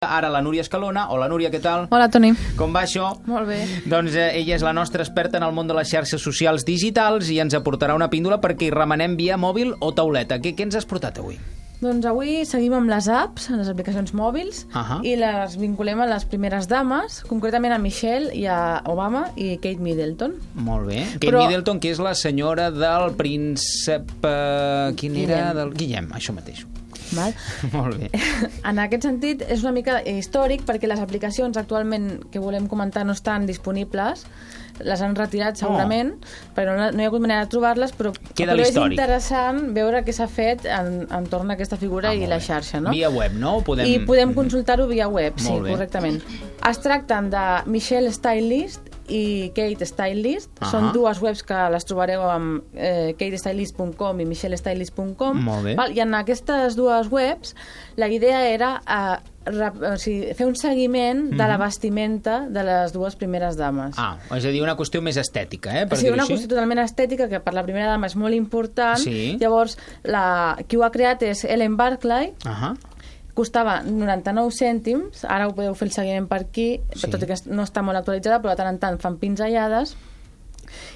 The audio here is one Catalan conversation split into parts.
Ara la Núria Escalona. Hola, Núria, què tal? Hola, Toni. Com va això? Molt bé. Doncs ella és la nostra experta en el món de les xarxes socials digitals i ens aportarà una píndola perquè hi remenem via mòbil o tauleta. Què ens has portat avui? Doncs avui seguim amb les apps, les aplicacions mòbils, i les vinculem a les primeres dames, concretament a Michelle i a Obama i Kate Middleton. Molt bé. Kate Middleton, que és la senyora del príncep... Quin era? Del Guillem, això mateix. Val? Molt bé. En aquest sentit, és una mica històric perquè les aplicacions actualment que volem comentar no estan disponibles, les han retirat segurament, però no hi ha hagut manera de trobar-les, però és interessant veure què s'ha fet entorn a aquesta figura i la xarxa, no? Via web, no? I podem consultar-ho via web, sí, correctament. Es tracten de Michelle Stylist i Kate Stylist. Són dues webs que les trobareu amb katestylist.com i michellestylist.com. I en aquestes dues webs la idea era fer un seguiment de la vestimenta de les dues primeres dames. És a dir, una qüestió més estètica, Sí, una qüestió totalment estètica que per la primera dama és molt important. Llavors, qui ho ha creat és Ellen Barclay. Costava 99 cèntims, ara ho podeu fer el seguiment per aquí, tot i que no està molt actualitzada, però de tant en tant fan pinzellades.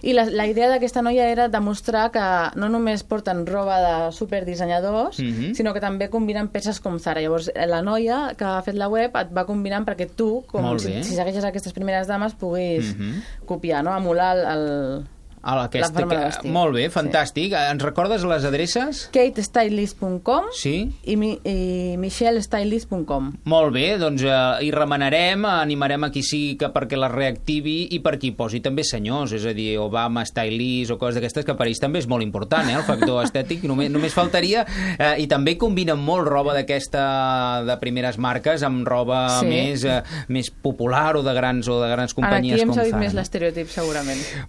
I la idea d'aquesta noia era demostrar que no només porten roba de superdissenyadors, sinó que també combinen peces com Zara. Llavors, la noia que ha fet la web et va combinant perquè tu, si segueixes aquestes primeres dames, puguis copiar, emular la forma de vestir. Molt bé, fantàstic. Ens recordes les adreces? katestylist.com i michellestylist.com. Molt bé, doncs hi remenarem, animarem a qui sigui perquè la reactivi i per qui posi també senyors, és a dir, Obama, Stylist o coses d'aquestes, que per ells també és molt important, el factor estètic, només faltaria, i també combinen molt roba d'aquesta de primeres marques amb roba més popular o de grans companyies com Zara. Aquí hem seguit més l'estereotip, segurament.